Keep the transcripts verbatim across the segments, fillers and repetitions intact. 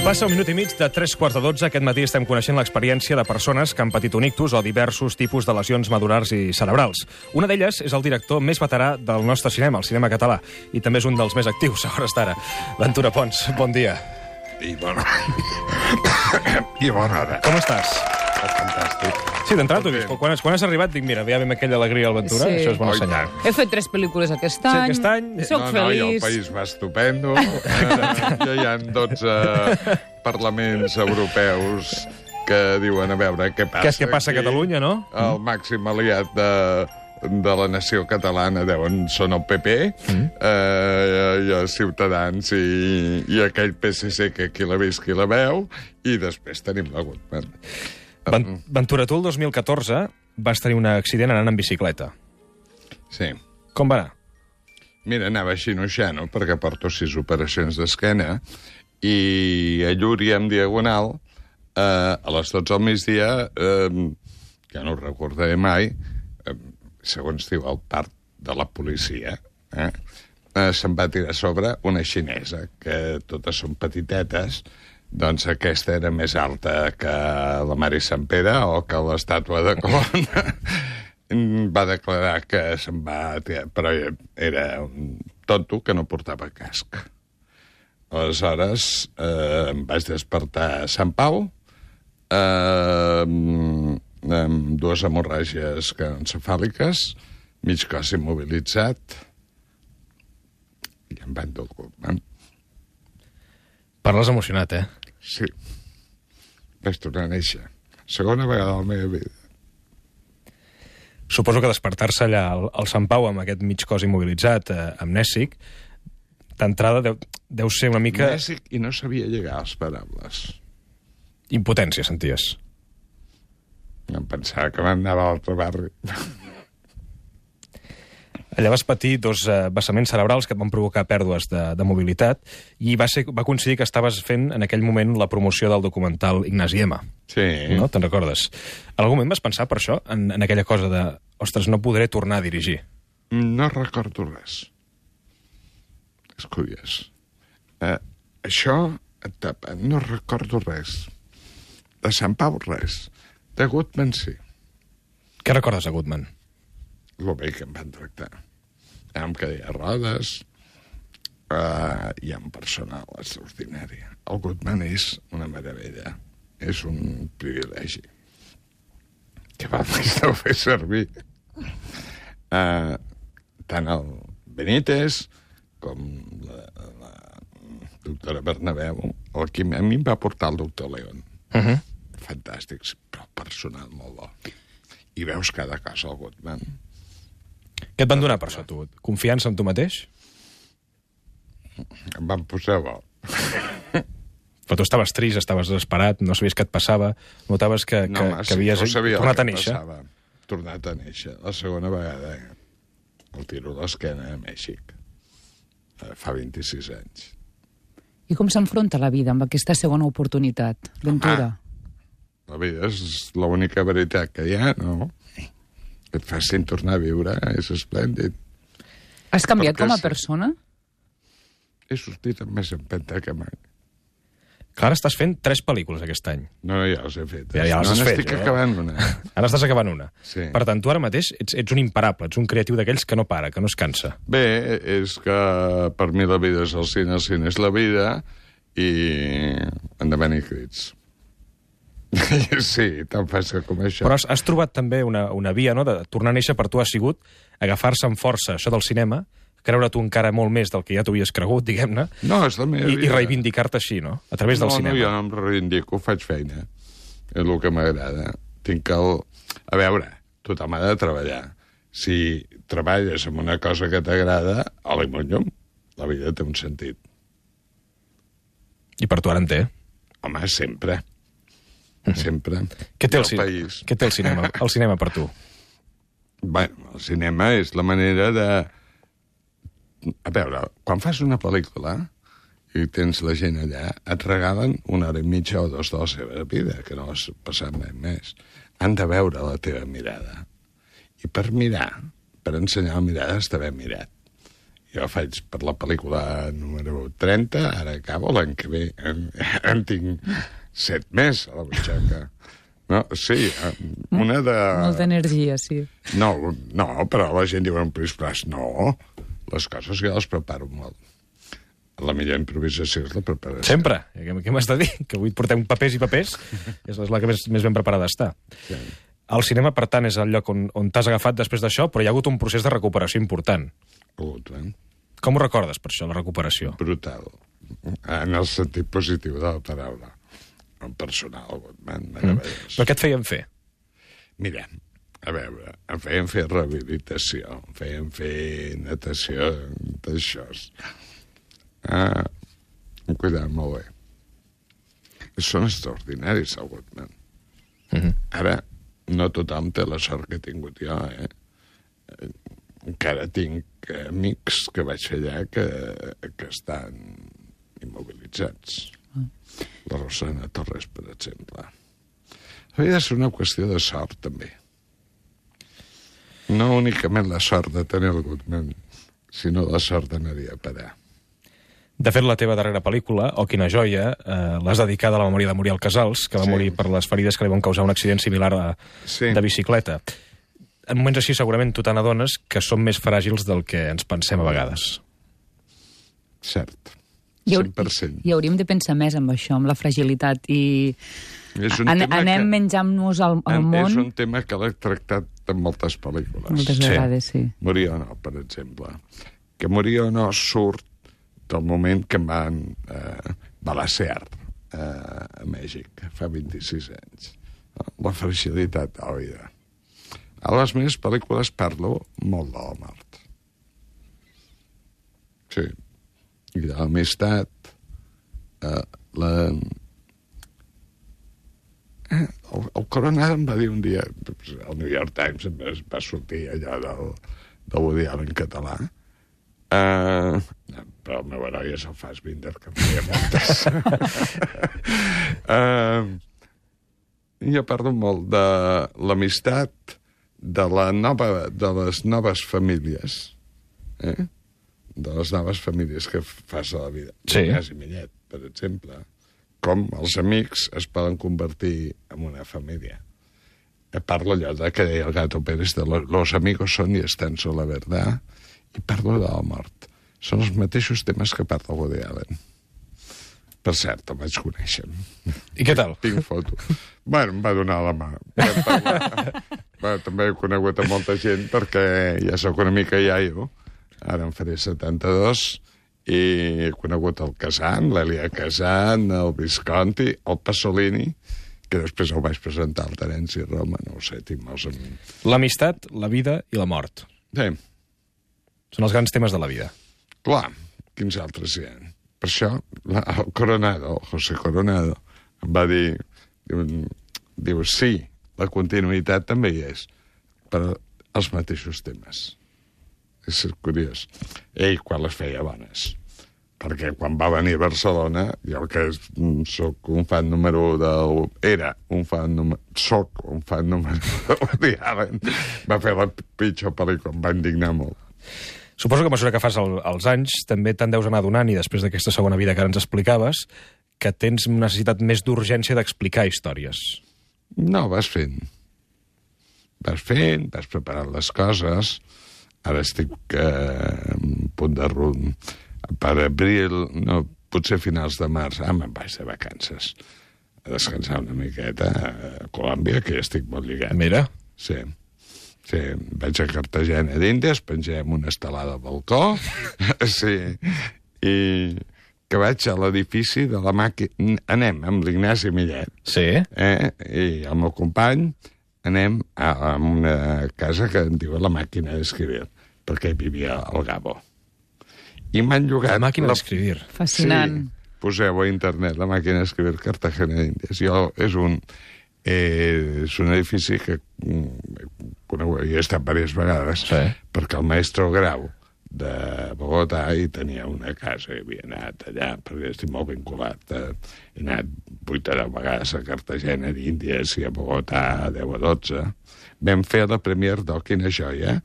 Passa un minut i mig de tres quarts de dotze. Aquest matí estem coneixent l'experiència de persones que han patit un ictus o diversos tipus de lesions medul·lars i cerebrals. Una d'elles és el director més veterà del nostre cinema, el cinema català, i també és un dels més actius a hores d'ara. Ventura Pons, bon dia. I bona... I bona hora. Com estàs? Fantàstic. Sí, d'entrada t'ho he vist. Quan has, quan has arribat dic, mira, ja ve aquella alegria al Ventura, Sí. això és bon Oh, i senyal. tant. He fet tres pel·lícules aquest Sí, any. aquest any. Soc no, no, i el feliç. país va estupendo. Eh, ja hi ha dotze parlaments europeus que diuen, a veure, què passa Què és que passa a aquí? Catalunya, no? El màxim aliat de, de la nació catalana deuen són el P P, mm. eh, i els Ciutadans i, i aquell P S C que qui la vist qui la veu, i després tenim la Gutmann. Ven- Ventura, tu el dos mil catorze vas tenir un accident anant en bicicleta. Sí. Com va anar? Mira, anava xinoxano, perquè porto sis operacions d'esquena, i a Llúria, en diagonal, eh, a les dotze del migdia, eh, que no ho recordaré mai, eh, segons diu el part de la policia, eh, eh, se'm va tirar a sobre una xinesa, que totes són petitetes, doncs aquesta era més alta que la Mare Sant Pere o que l'estàtua de Colón. Va declarar que se'n va tirar, però era un tonto que no portava casc. Aleshores, eh, em vaig despertar a Sant Pau, eh, amb dues hemorràgies encefàliques, mig cos immobilitzat, i em van dur el Gutmann. Parles emocionat, eh? Sí. Vaig tornar a néixer. Segona vegada a la meva vida. Suposo que despertar-se allà al, al Sant Pau amb aquest mig cos immobilitzat, eh, amnèsic, d'entrada deu, deu ser una mica... Mèxic, i no sabia llegar als parables. Impotència, senties. Em pensava que m'anava a l'altre barri. Allà vas patir dos eh, vessaments cerebrals que et van provocar pèrdues de, de mobilitat i va, ser, va coincidir que estaves fent en aquell moment la promoció del documental Ignasi Ema. Sí. No? Te'n recordes? En algun moment vas pensar per això, en, en aquella cosa de ostres, no podré tornar a dirigir? No recordo res. És curiós. Eh, això et tapa. No recordo res. De Sant Pau, res. De Gutmann, sí. Què recordes de Gutmann? Lo bé que em van tractar. Amb cadira de rodes, uh, i amb personal extraordinari. El Gutmann és una meravella. És un privilegi. Que va més no fer servir. Uh, tant el Benítez com la, la doctora Bernabéu, el que a mi em va portar el doctor León. Uh -huh. Fantàstics, però personal molt bo. I veus cada cosa al Gutmann. Què et van donar per això, tu? Confiança en tu mateix? Em van posar bo. Però tu estaves trist, estaves desesperat, no sabies què et passava, notaves que, No, que, home, que sí, havies no sabia tornat el a que néixer. passava. Tornat a néixer. La segona vegada, eh? El tiro a l'esquena a Mèxic. Eh, Fa vint-i-sis anys. I com s'enfronta la vida amb aquesta segona oportunitat, Ventura? La vida és l'única veritat que hi ha, no? Que et facin tornar a viure, és esplèndid. Has canviat perquè com a sí. persona? He sortit amb més empenta que mai. Clar, ara estàs fent tres pel·lícules aquest any. No, ja les he fet. Ja, ja les no, has fet, n'estic eh? acabant una. Ara estàs acabant una. Sí. Per tant, tu ara mateix ets, ets un imparable, ets un creatiu d'aquells que no para, que no es cansa. Bé, és que per mi la vida és el cine, el cine és la vida, i endavant i crits. Sí, tan fàcil com això. Però has, has trobat també una, una via, no?, de tornar a néixer per tu ha sigut agafar-se amb força això del cinema, creure tu encara molt més del que ja t'ho havies cregut, diguem-ne, No, és la meva i, vida. i reivindicar-te així, no?, a través del no, cinema. No, jo no em reivindico, faig feina. És el que m'agrada. Tinc el... A veure, tothom ha de treballar. Si treballes en una cosa que t'agrada, a l'imonyum, la vida té un sentit. I per tu ara en té. Home, sempre. Sempre. Què té el, I ci... país. Què té el cinema, el cinema per tu? Bueno, el cinema és la manera de... A veure, quan fas una pel·lícula i tens la gent allà, et regalen una hora i mitja o dos de la seva vida, que no has passat mai més. Han de veure la teva mirada. I per mirar, per ensenyar la mirada, has d'haver mirat. I jo faig per la pel·lícula número trenta, ara acabo l'any que ve. En, en tinc set més a la butxaca. No, sí, una de... Molta energia, sí. No, no, però la gent diu en plis-plas. No, les coses jo les preparo molt. La millor improvisació és la preparació. Sempre. Què, què m'has de dir? Que avui portem papers i papers. És la que més, més ben preparada està. Sí. El cinema, per tant, és el lloc on, on t'has agafat després d'això, però hi ha hagut un procés de recuperació important. Hagut, eh? Com ho recordes, per això, la recuperació? Brutal. En el sentit positiu de la paraula. En personal, man, mm. Però què et feien fer? Mira, a veure, em feien fer rehabilitació, em feien fer natació, d'això. Ah, em cuidaven molt bé. Són extraordinaris, el Goodman. Mm-hmm. Ara, no tothom té la sort que he tingut jo, eh? Encara tinc amics que vaig fer allà que, que estan immobilitzats. Mm. La Rosana Torres, per exemple. Havia de ser una qüestió de sort, també. No únicament la sort de tenir el Goodman, sinó la sort d'anar-hi a parar. De fet, la teva darrera pel·lícula, Oh, quina joia, eh, l'has dedicada a la memòria de Muriel Casals, que va sí. morir per les ferides que li van causar un accident similar a, sí. de bicicleta. En moments així, segurament, tu te n'adones que som més fràgils del que ens pensem a vegades. Cert. cent per cent. I hauríem de pensar més en això, amb la fragilitat, i an anem que... menjant-nos al, al en, món... És un tema que l'he tractat en moltes pel·lícules. Moltes vegades, sí. sí. Morir o no, per exemple. Que morir o no surt del moment que em van eh, balacear eh, a Mèxic, fa vint-i-sis anys. La fragilitat de la vida. A les meves pel·lícules parlo molt de la mort. Sí. I de l'amistat, eh, la... Eh, el, el Coronado em va dir un dia, el New York Times em va sortir allà del, del Woody Allen català, Uh, però el meu heroi és el Fassbinder, que em feia moltes. uh, jo parlo molt de l'amistat, de, la nova, de les noves famílies, eh? de les noves famílies que fas a la vida. Sí. Ignasi Millet, per exemple. Com els amics es poden convertir en una família. Parlo allò de que deia el Gato Pérez, de los amigos son y están sola verdad, i parlo de la mort. Són els mateixos temes que parla Woody Allen. Per cert, el vaig conèixer. I què tal? Tinc foto. Bueno, em va donar la mà. Bueno, també he conegut a molta gent perquè ja sóc una mica iaio. Ara em faré setanta-dos i he conegut el Casant, l'Elia Casant, el Visconti, el Pasolini, que després el vaig presentar al Terenci Roma, no ho sé, tinc molts amics. L'amistat, la vida i la mort. Sí. Són els grans temes de la vida. Clar, quins altres hi ha? Per això, la, el Coronado, el José Coronado, em va dir, diu, diu, sí, la continuïtat també hi és, però els mateixos temes. És curiós. Ell, quan les feia bones. Perquè quan va venir a Barcelona, jo que soc un fan número del... Era un fan número... Soc un fan número de Woody Allen. Va fer la pitjor pel·lícula, em va indignar molt. Suposo que a mesura que fas el, els anys també te'n deus anar donant, i després d'aquesta segona vida que ara ens explicaves, que tens una necessitat més d'urgència d'explicar històries. No, vas fent. Vas fent, vas preparant les coses. Ara estic eh, a punt de rum. Per abril, no, potser finals de març, ah, me'n vaig de vacances. A descansar una miqueta a Colòmbia, que ja estic molt lligat. Mira. Sí. Sí, vaig a Cartagena d'Índies, pengem una estelada al balcó, sí, i que vaig a l'edifici de la màquina... Anem amb l'Ignasi Millet, sí. eh? I el meu company anem a, a una casa que en diu la màquina d'escriure, perquè hi vivia el Gabo. I m'han llogat... La màquina la... d'escriure. Fascinant. Sí, poseu a internet la màquina d'escriure Cartagena d'Índies. Jo, és un... Eh, és un edifici que conegut, hi he estat diverses vegades, sí. perquè el maestro Grau de Bogotà hi tenia una casa, i havia anat allà, perquè estic molt vinculat. Eh, he anat vuit o deu vegades a Cartagena d'Índies i a Bogotà deu o dotze. Vam fer la premier d'O, quina joia,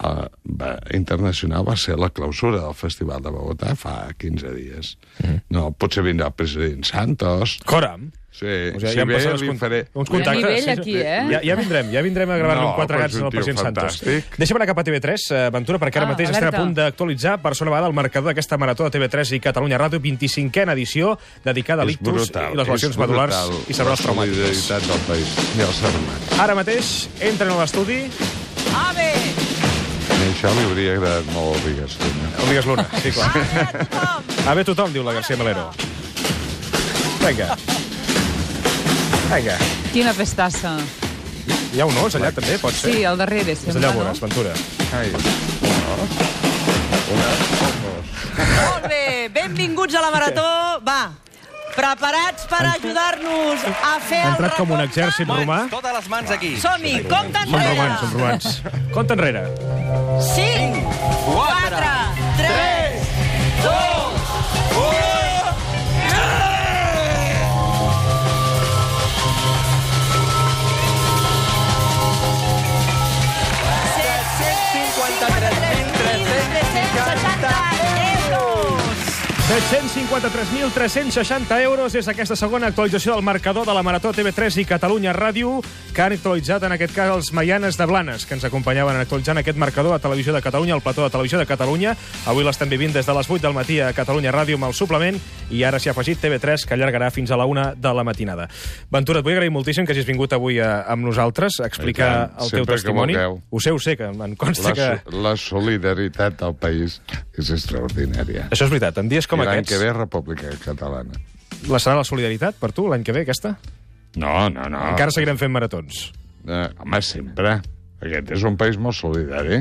uh, va, internacional va ser la clausura del Festival de Bogotà fa quinze dies. Mm. No, potser vindrà el president Santos. Coram. Sí, o sigui, si ja ve li uns, faré... uns contactes. Hi ha nivell aquí, eh? Ja, ja vindrem, ja vindrem a gravar-li no, un quatre gats al president Santos. Deixa'm anar cap a T V tres, Ventura, perquè ara ah, mateix alerta. estem a punt d'actualitzar per segona vegada el marcador d'aquesta marató de T V tres i Catalunya Ràdio, vint-i-cinquena edició, dedicada a l'ictus i les lesions medul·lars i cerebrals traumàtiques. La solidaritat del país i els sermans. Ara mateix entren a l'estudi... Ave! I això li hauria agradat molt al Vigues Luna. El Vigues Luna, sí, clar. Ave a tothom! Ave tothom, diu la García Melero. Vinga. Vinga. Quina festassa. Hi ha un os allà, també, pot ser? Sí, al darrere, Des sembla, d'allà no? veuràs, Ventura. Ai, una, una, Molt bé, benvinguts a la Marató. Va, preparats per ajudar-nos a fer Ha el entrat com un recompte? exèrcit romà. Totes les mans aquí. Som-hi, compte Són romans, enrere. són romans. Compte enrere. cinc, quatre, tres, dos, u... set-cents cinquanta-tres mil tres-cents seixanta euros és aquesta segona actualització del marcador de la Marató T V tres i Catalunya Ràdio, que han actualitzat, en aquest cas, els Maianes de Blanes, que ens acompanyaven actualitzant aquest marcador a Televisió de Catalunya, al plató de Televisió de Catalunya. Avui l'estem vivint des de les vuit del matí a Catalunya Ràdio amb el suplement, i ara s'hi ha afegit T V tres, que allargarà fins a la una de la matinada. Ventura, et vull agrair moltíssim que hagis vingut avui a, amb nosaltres a explicar el teu testimoni. Ho sé, ho sé, que em consta la, que... la solidaritat del país és extraordinària. Això és veritat, en dies com I l'any aquests... que ve, República Catalana. La serà la solidaritat per tu, l'any que ve, aquesta? No, no, no. Encara seguirem fent maratons. Eh, home, sempre. Aquest és un país molt solidari.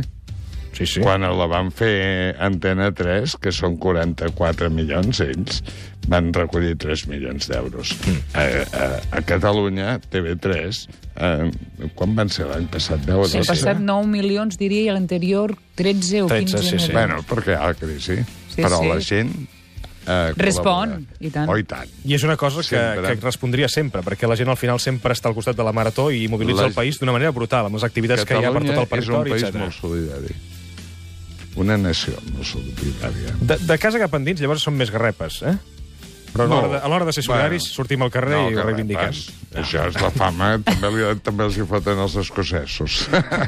Sí, sí. Quan la van fer Antena tres, que són quaranta-quatre milions, ells van recollir tres milions d'euros. Mm. A, a, a Catalunya, T V tres, eh, quan van ser l'any passat? deu o L'any dotze? passat nou milions, diria, i l'anterior tretze o tretze, quinze. sí, sí. Bueno, perquè hi ha la crisi. Sí, però sí. la gent... Eh, Respon, col·labora. i tant. Oh, i tant. I és una cosa que, Sempre. que respondria sempre, perquè la gent al final sempre està al costat de la marató i mobilitza La- el país d'una manera brutal, amb les activitats que hi ha per tot el és un territori, país etcètera. molt solidari. Una nació molt solidària. De, de casa cap endins, llavors són més garrepes, eh? Però a l'hora de, a l'hora de ser solidaris, Bueno, sortim al carrer i ho que reivindiquem. repàs. Això és la fama, també, li, també els hi foten els escocesos.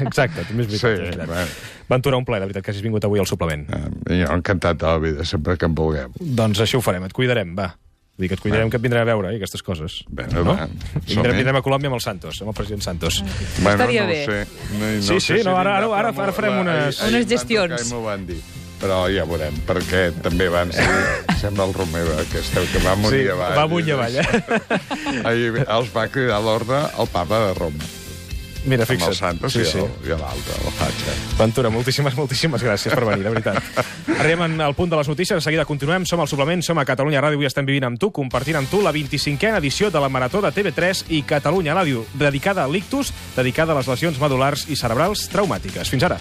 Exacte, també és veritat. Sí, és veritat. bueno. Ventura, un plaer, de veritat, que hagis vingut avui al suplement. Eh, Jo encantat de la vida, sempre que em vulgueu. Doncs així ho farem, et cuidarem, va. Vull dir que et cuidarem, que et vindrem a veure, i aquestes coses. Bé, no? va, Vindrem, som-hi. vindrem a Colòmbia amb el Santos, amb el president Santos. Bueno, Estaria no bé. Ho sé. No, no Sí, sé sí, si no, ara- vindrà, ara- ara- però ara farem la- unes- ahir- ahir Unes em van gestions. trucar i m'ho van dir. Però ja veurem, perquè també van ser... Sembla el Romeva, que, esteu, que va amunt Sí, i avall. va amunt i avall, eh? Ahir els va cridar a l'ordre el papa de Roma. Mira, Amb el fixa't. Santos Sí, i sí. el- i l'altre, el Hatxa. Ventura, moltíssimes, moltíssimes gràcies per venir, de veritat. Arribem al punt de les notícies, de seguida continuem, som al suplement, som a Catalunya Ràdio, avui estem vivint amb tu, compartint amb tu la vint-i-cinquena edició de la Marató de T V tres i Catalunya Ràdio, dedicada a l'ictus, dedicada a les lesions medul·lars i cerebrals traumàtiques. Fins ara.